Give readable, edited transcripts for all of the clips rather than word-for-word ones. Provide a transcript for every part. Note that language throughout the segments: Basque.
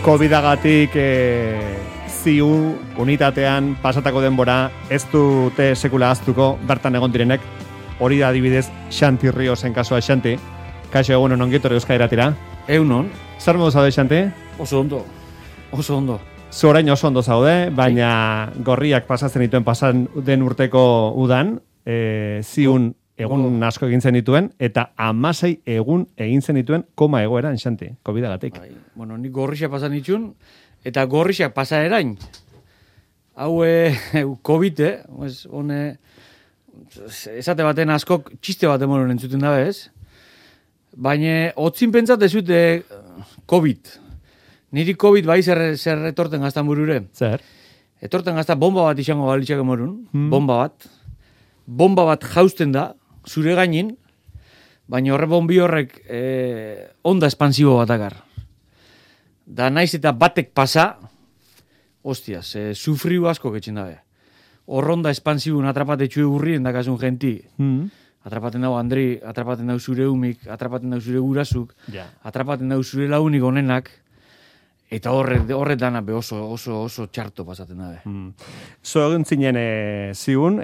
COVID-agatik ziu unitatean pasatako denbora ez dute sekula aztuko bertan egon direnek. Hori da adibidez Xanti Riosen kasua. Xanti, kaixo egunon ongitorri Euskadi Irratira. Egunon. Zer modu zaude, Xanti? Oso ondo. Zu orain oso ondo zaude, baina gorriak pasatzen dituen pasan den urteko udan, ziun egun asko egin zen dituen, eta 16 egun egin zen dituen koma egoeran, Xanti, COVID-agatik. Bai. Bueno, nik gorrixak pasan ditun, eta gorrixak pasa erain. Hau COVID, esate baten askok txiste bat emoron entzuten dabe, ez? Baina, otzin pentsat ez dute COVID. Niri COVID bai zer etorten gaztan burure. Zer? Etorten gazta bomba bat izango balitxak emorun, bomba bat. Bomba bat jausten da, zure gainin, baina horre bombi horrek onda espansibo bat akar. Da naiz eta batek pasa, hostias, sufriu asko ketxen dabe. Horronda espansibun atrapatetxue urrien dakasun genti. Atrapaten dau Andri, atrapaten dau zure umik, atrapaten dau zure gurasuk, atrapaten dau zure launik onenak, eta horre dana be oso txarto pasaten dabe. Zo egin zinen ziun,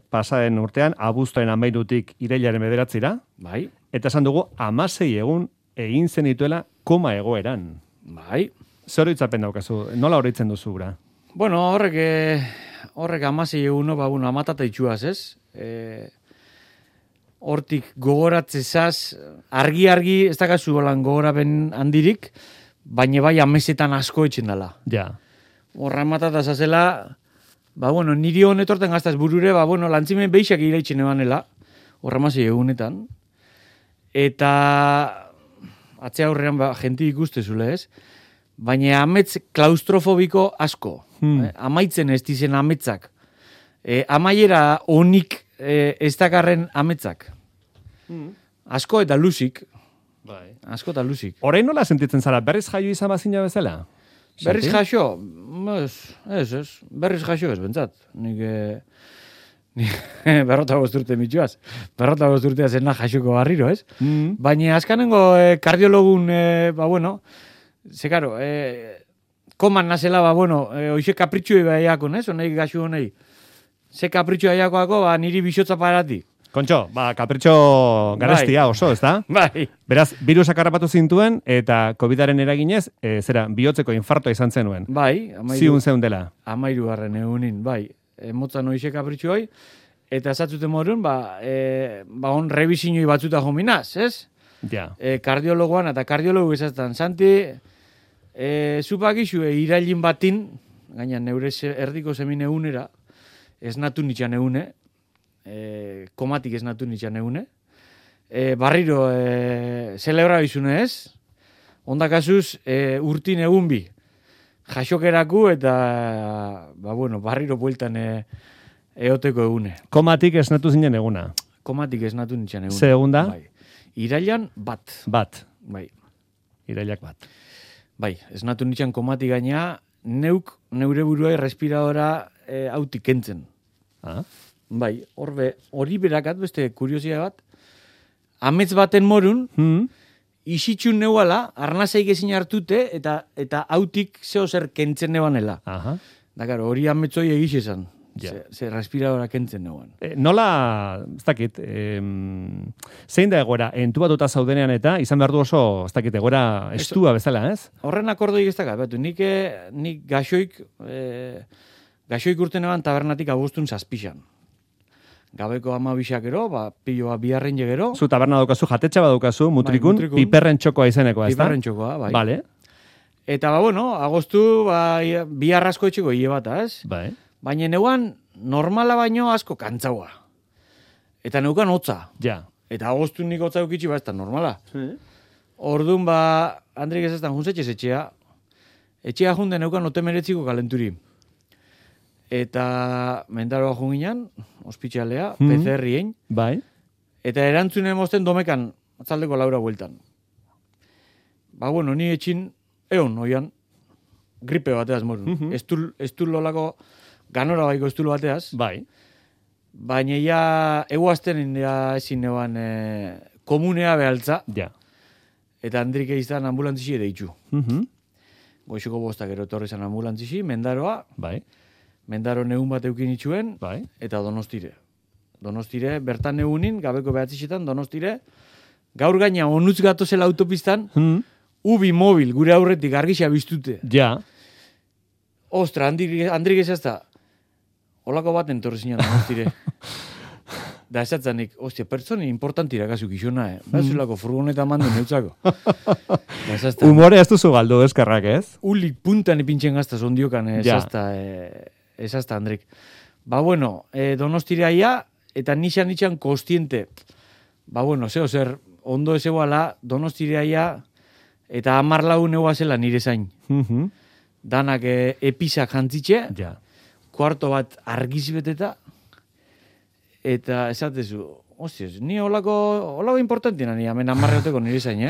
pasaden urtean, abuztoen 13 irailaren 9 Bai. Eta esan dugu, 16 egun egin zen dituela koma egoeran. Bai. Zer horitzapen daukazu? Nola horitzen duzu gura? Bueno, horrek 16 eguno, amatata itxuaz, ez? Hortik gogoratzezaz, argi, ez dakazu holan gogoraben handirik, baina bai amesetan asko etxen dela. Ja. Horra matata zazela, niri honetorten gaztaz burure, lantzimen beixak iraitxen ebanela, horra mazei egunetan, eta atzea horrean jenti ikustezule, ez? Baina amets klaustrofobiko asko. Amaitzen ez dizen ametzak. Amaiera onik ez dakarren ametzak. Asko eta lusik. Bai. Asko eta lusik. Orain nola sentitzen zara? Berriz jaio izan bazina bezala? Berriz jaio? Ez. Berriz jaio ez, bentsat. Nik 45 urte mitxuaz. 45 urtea zena jaioko barriro, ez? Baina azkanengo kardiologun, koman nazela, oixe kapritxu ebaiakon, ez? Honei gaxu honei. Ze kapritxu ebaiakoako, niri bisotza parati. Kontxo, kapritxo garestia oso, ez da? Bai. Beraz, virusak harrapatu zintuen, eta COVID-aren eraginez, bihotzeko infartoa izan zenuen. Bai. Ziun zeundela. 13 egunin, bai. Motzan oixe kapritxu hoi, eta esatzuten morun, on rebizinoi batzuta jominaz, ez? Ja. Kardiologoan, eta kardiologu esatzen, Santi, zupakizu irailin batin, gaina neure erdiko zemin egunera, esnatu nitxan egune, komatik esnatu nitxan egune, barriro zelebra bizune ez, ondakazuz urtin egun bi, jasokeraku eta barriro bueltan eoteko egune. Komatik esnatu zinen eguna? Komatik esnatu nitxan egune. Ze egunda? Bai. Irailan bat. Bai. Irailak bat. Bai, esnatu nitxan komatik gaina, neure buruai respiradora hautik kentzen. Bai, hori berakat, beste kuriosia bat, amets baten morun, isitxun neuala, arnazeik ezin hartute, eta hautik zeo zer kentzen nebanela. Da, hori ametzoi egiz esan. Ze respiradora kentzen neuan. Nola, ez dakit, zein da egoera, entubatuta zaudenean eta izan behar du oso, ez dakit, egoera estua bezala, ez? Horren akordoik ez dakat, nik gaxoik urten eban tabernatik agustun zazpixan. Gabeko 12 gero, piloa biharren jegero. Zu taberna daukazu, jatetxa badaukazu, mutrikun, piperren txokoa izenekoa, ez da? Piperren txokoa, bai. Vale. Eta, agostu, biharrazko etxeko hile bata, ez? Bai. Baina neuan normala baino asko kantzaua. Eta neukan hotza. Ja. Eta agostu nik hotza eukitxi ez da normala. Orduan, Andrik ez eztan juntzetxez etxea. Etxea junde neukan otemeretziko kalenturi. Eta mendaroa junginan, ospitxalea, PCR-ien. Bai. Eta erantzunen mozten domekan, atzaldeko laura bueltan. Ni etxin, oian, gripe bateaz morun. Estul lolako, ganora baiko estul bateaz. Bai. Baina ja, eguazten ezin neban komunea behaltza. Ja. Eta Andrik izan ambulantzisi ere itxu. goixoko bostak gero etorri zan ambulantzisi, Mendaroa, Bai. Mendaro negun bat eukin itxuen, Bai. eta Donostire. Donostire, bertan negunin, gabeko behatzizetan, Donostire, gaur gaina onutz gatozela autopistan, ubi mobil, gure aurretik argisa biztute. Ja. Ostra, Andrik ezazta, holako baten torre zinan Donostire. Da esatzanik, ostia, pertsoni importantira kasuk izona, Bazulako furgoneta mandu neutzako. Humore ez duzu galdu, eskerrak, ez? Ulik puntan ipintzen gaztaz ondiokan, esazta, Andrik. Ba, bueno, Donostireaia, eta nixan kostiente. Ba, bueno, zer, ondo ezegoala, Donostireaia, eta 14 neua zela nire zain. Danak episak jantzitxe, kuarto bat argiz beteta, eta esatezu, hostias, ni holako importantina ni hemen 10 urteko nire zain,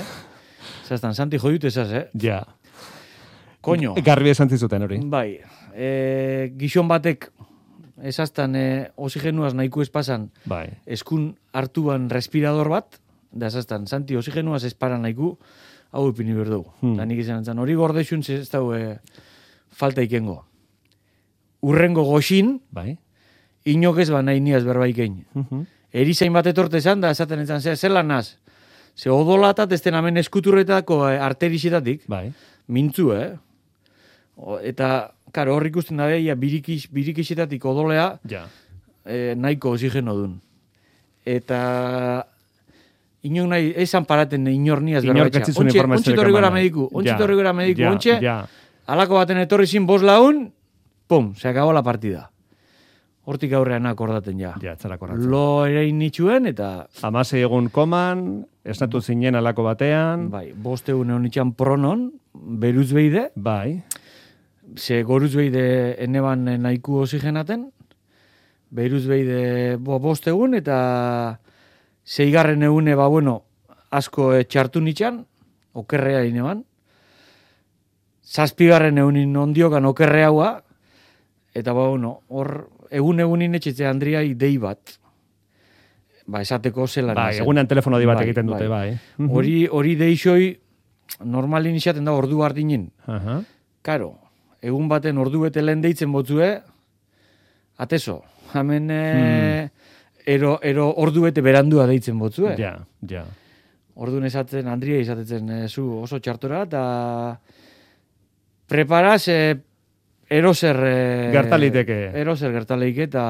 Zaztan, Santi jodut esaz, Ja. Koño. Garbi esan zizuten hori. Bai, gizon batek, esaztan, oxigenuaz nahiko espasan, Bai. eskun hartuan respirador bat, da esaztan, Santi, oxigenuaz esparan nahiko, hau ipini berdugu. Da nik izan entzan, hori gordexun ez dau falta ikengo. Urrengo goxin, Bai. inok ez ba nahi niaz berbaikein. Erizain bat etorte esan, da esaten entzan, zelan naz? Ze odolatat ez den hemen eskuturretako arterixetatik, Bai. mintzu, eta, karo, hor ikusten da beha, birikixetatik odolea, nahiko oxigeno dun. Eta, inok nahi, esan paraten inor niaz berbaitxa. Ontsi torri gora mediku, ontsi, alako baten etorri zin 5 lagun, pum, se acabó la partida. Hortik aurrean akordaten ja. Ja, txara korratzen. Lo ere nitxuen, eta... 16 egun koman, esnatu zinen alako batean. Bai, 5 egun egon itxan pronon, beruz behide. Bai. Ze goruz behide eneban nahiko oxigenaten. Beruz behide 5 egun, eta 6. egune, ba, bueno, asko txartu nitxan, okerrea ineban. 7. egunin ondiokan okerre haua, eta ba, bueno, hor, egunin etxetzea Andriai dei bat. Ba, esateko zelan. Bai, egunean telefono di bat egiten dute, bai. Hori deixoi, normalin izaten da ordu hartinen. Karo, egun baten ordu bete lehen deitzen botzue, ateso, hemen ero ordu bete berandua deitzen botzue. Ja. Orduan esatzen, Andria izatetzen zu oso txartora, eta preparaz eroser gertaleike, eta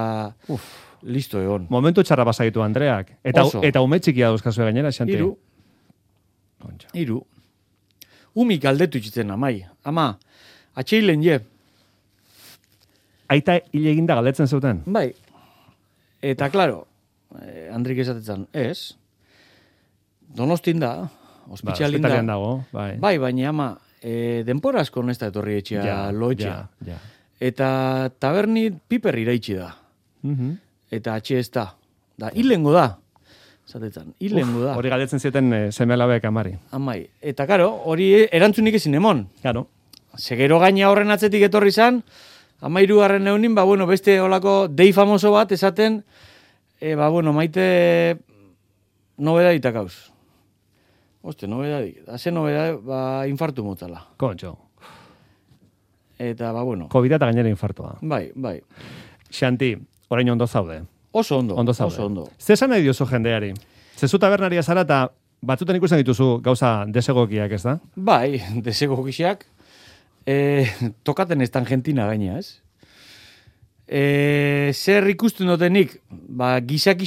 listo egon. Momentu txarra basaitu Andreak. Eta ume txikia dauzkazu gainera, Xanti. 3. Umik aldetu itxitzen, amai. Ama, atxeilen je. Aita hile eginda galdetzen zuten? Bai. Eta, klaro, Andrik esatetzen, ez, Donostin da, ospitxalin da. Ospitalian dago, bai. Bai, baina ama, denpora asko nesta etorri etxea, loetxea. Ja. Eta taberni piper iraitsi da. Eta atxe ez da. Da, hilengo da. Zatetan, hilengo da. Hori galdetzen zieten seme-alabek amari. Amai. Eta, karo, hori erantzunik ezin emon. Karo. Segero gaina horren atzetik etorri zan, 13. eunin, ba, bueno, beste olako dei famoso bat esaten, ba, bueno, maite nobedadita kauz. Oste, nobedadik. Haze nobedadik, ba, infartu motala. Kontxo. Eta, ba, bueno. COVID eta gainera infartua. Bai. Xanti, orain ondo zaude. Oso ondo. Oso ondo. Zesan nahi diozu jendeari? Zezu tabernaria zara eta batzutan ikusten dituzu gauza desegokiak, ez da? Bai, desegokiak. Tokaten ez Argentina gaina, ez? Zer ikusten dutenik, ba, gizak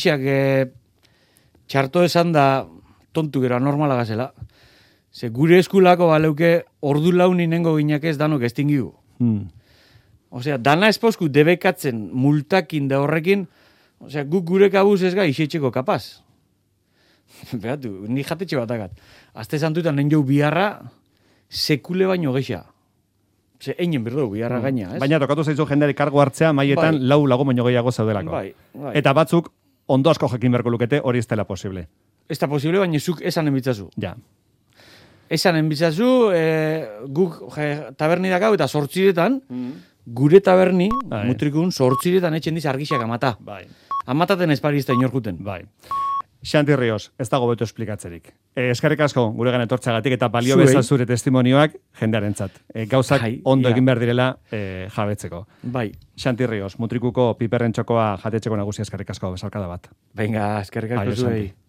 txarto esan da tontu gero anormala gazela. Ze gure eskulako baleuke ordu launin nengo ginak ez danok estingigu. Osea, dana espausku debekatzen multakin da horrekin, osea, guk gure kabuz ez gai isetxeko kapaz. Beratu, ni jatetxe batakat. Azte santutan nen jau biharra sekule baino gexa. Ze, einen berdu, biharra gaina, ez? Baina tokatu zaizu jendeari kargo hartzea maietan lau lago baino gehiago zaudelako. Bai. Eta batzuk ondo asko jakin berko lukete hori ez dela posible. Ez da posible, baina zuk esan enbitzazu. Ja. Esan enbitzazu, guk taberni dakau eta 8 gure taberni, mutrikun, 8 etxen diz argixak amata. Bai. Amataten espari ez da inorkuten. Bai. Xanti Rios, ez dago beto esplikatzerik. Eskerrik asko guregan etortzagatik eta balio Zuei. bezal zure testimonioak jendearentzat. Gauzak ondo ja. egin behar direla jabetzeko. Bai. Xanti Rios, Mutrikuko piperren txokoa jatetxeko nagusia eskerrik asko, besarkada bat. Venga, eskerrik asko Aio, zuei. Santi.